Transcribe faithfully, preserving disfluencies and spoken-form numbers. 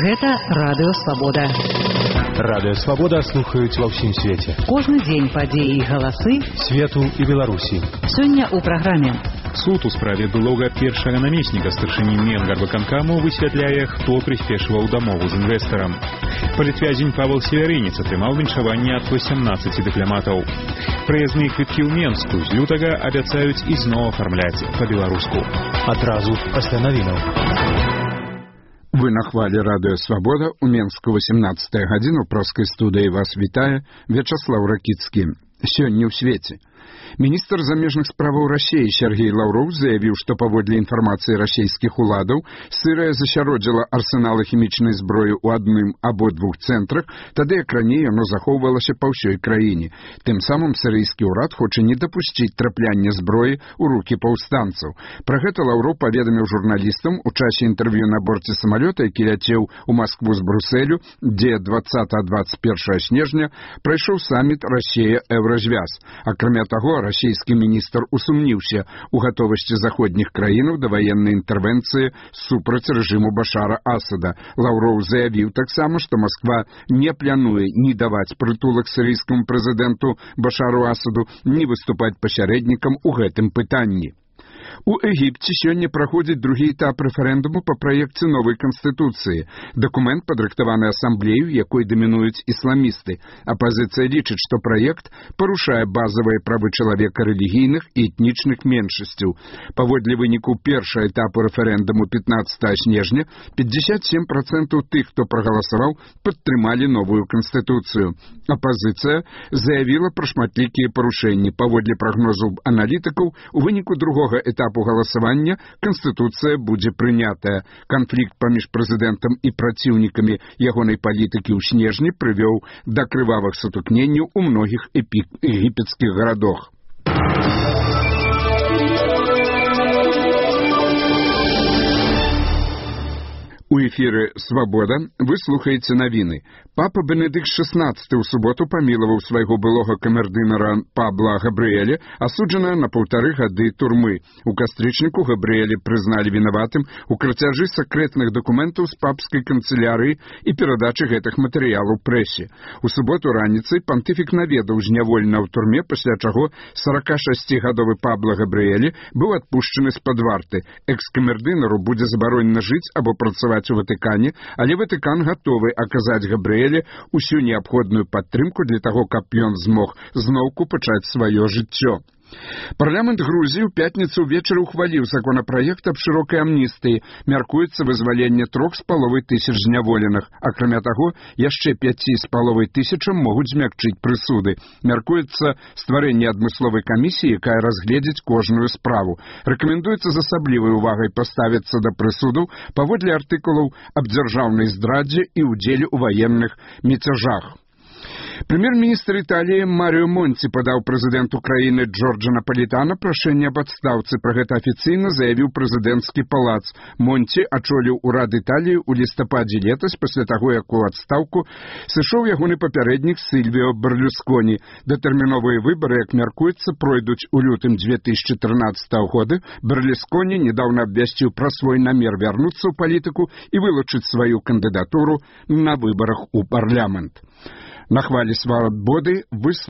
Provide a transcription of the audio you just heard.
Гэта Радыё Свабода. Радыё Свабода слухаюць ва ўсім свеце. Кожны дзень падзеі і галасы свету і Беларусі. Сёння ў праграме. Суд у справе былога першага намесніка старшыні Менгарвыканкаму высвятляе, хто прыспешваў дамову з інвестарам. Палітвязень Павел Северынец атрымаў віншаванне ад васямнаццаці дыпламатаў. Праязныя квіткі ў Менску з лютага абяцаюць ізноў афармляць па-беларуску. Адразу пасля навінаў. Вы на хвале Радыё Свабода. У Менску восемнадцатая гадзіна. У проскай студыі вас вітае Вячаслаў Ракіцкі. Сёння ў свеце. Міністр замежных справаў Расіі Сергей Лаўроў заявіў, што паводле інфармацыі расійскіх уладаў Сырыя засяродзіла арсеналы хімічнай зброі ў адным або двух цэнтрах, тады як раней яно захоўвалася па ўсёй краіне. Тым самым сірыйскі ўрад хоча не дапусціць трапляння зброі ў рукі паўстанцаў. Пра гэта Лаўроў паведаміў журналістам у часе інтэрв'ю на борце самалёта, які ляцеў у Маскву з Брусэлю, дзе дваццатага дваццаць першага снежня прайшоў саміт Расія-Еўразвяз. Акрамя таго, расійскі міністр усумніўся у гатовасці заходніх краінаў да ваеннай інтэрвенцыі супраць рэжыму Башара Асада. Лаўроў заявіў таксама, што Масква не плануе ні даваць прытулак сірыйскаму прэзідэнту Башару Асаду, ні выступаць пасярэднікам у гэтым пытанні. У Егіпце сёння праходзіць другі этап рэферэндуму па праекце новай канстытуцыі. Дакумент падрыхтаваны асамблею, якой дамінуюць ісламісты. Апазіцыя лічыць, што праект парушае базавыя правы чалавека рэлігійных і этнічных меншасцяў. Паводле выніку першага этапу рэферэндуму пятнаццатага снежня пятьдесят семь процентов тых, хто прагаласаваў, падтрымалі новую канстытуцыю. Апазіцыя заявіла пра шматлікія парушэнні. Паводле прагнозаў аналітыкаў, у выніку другога этапу этапу галасавання Канстытуцыя будзе прынятая. Канфлікт паміж прэзідэнтам і праціўнікамі ягонай палітыкі ў снежні прывёў да крывавых сутыкненняў у многіх егіпецкіх гарадах. У эфіры «Свабода» вы слухаеце навіны. Папа Бенедыкт шэснаццаты ў суботу памілаваў свайго былога камердынара Пабла Габрыэля, асуджанага на паўтары гады турмы. У кастрычніку Габрыэля прызналі вінаватым у крацяжы сакрэтных дакументаў з папскай канцылярыі і перадачы гэтых матэрыялаў прэсе. У суботу раніцай пантыфік наведаў зняволена ў турме, пасля чаго саракашасцігадовы Пабла Габрыэля быў адпушчаны з-пад варты. Экс-камердынару будзе забаронена жыць або працаваць у Ватыкане, але Ватыкан гатовы аказаць Габрыэле усю неабходную падтрымку для таго, каб ён змог зноўку пачаць сваё жыццё. Парламент Грузіі ў пятніцу ўвечары ухваліў законапраект аб шырокай амністыі. Мяркуецца вызваленне трох з паловай тысяч зняволеных. Акрамя таго, яшчэ пяці з паловай тысячам могуць змякчыць прысуды. Мяркуецца стварэнне адмысловай камісіі, якая разгледзіць кожную справу. Рэкамендуецца з асаблівай увагай паставіцца да прысудаў паводле артыкулаў аб дзяржаўнай здрадзе і ўдзеле ў ваенных міцяжах. Прэм'ер-міністр Італіі Марыо Монці падаў прэзідэнту краіны Джорджа Напалітана прашэнне аб адстаўцы. Пра гэта афіцыйна заявіў прэзідэнцкі палац. Монці ачоліў урад Італіі ў лістападзе летась, пасля таго, як у адстаўку сышоў ягоны папярэднік Сільвіо Берлюсконі. Датэрміновыя выбары, як мяркуецца, пройдуць у лютым две тысячы трынаццатага года. Берлюсконі недаўна абвясціў пра свой намер вярнуцца ў палітыку і вылучыць сваю кандыдатуру на выбарах у парламент. На хвале Свабоды вы